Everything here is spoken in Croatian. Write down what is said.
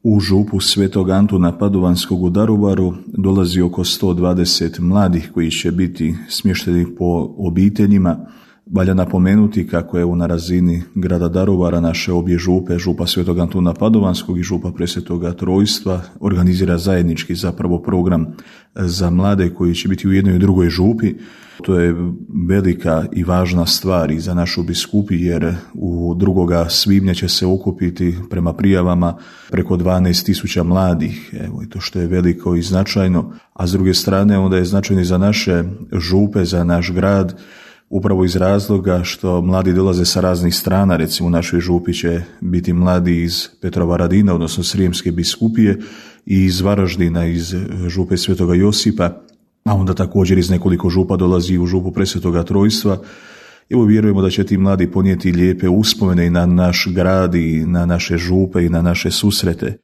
U župu Svetog Antuna Padovanskog u Daruvaru dolazi oko 120 mladih koji će biti smješteni po obiteljima. Valja napomenuti kako je na razini grada Daruvara naše obje župe, župa Svetog Antuna Padovanskog i župa Presvetoga Trojstva, organizira zajednički zapravo program za mlade koji će biti u jednoj i drugoj župi. To je velika i važna stvar i za našu biskupiju jer u 2. svibnja će se okupiti prema prijavama preko 12.000 mladih. Evo i to što je veliko i značajno, a s druge strane onda je značajno i za naše župe, za naš grad, upravo iz razloga što mladi dolaze sa raznih strana. Recimo u našoj župi će biti mladi iz Petrovaradina, odnosno Srijemske biskupije, i iz Varaždina, iz župe Svetoga Josipa, a onda također iz nekoliko župa dolazi u župu Presvetoga Trojstva. Evo vjerujemo da će ti mladi ponijeti lijepe uspomene i na naš grad i na naše župe i na naše susrete.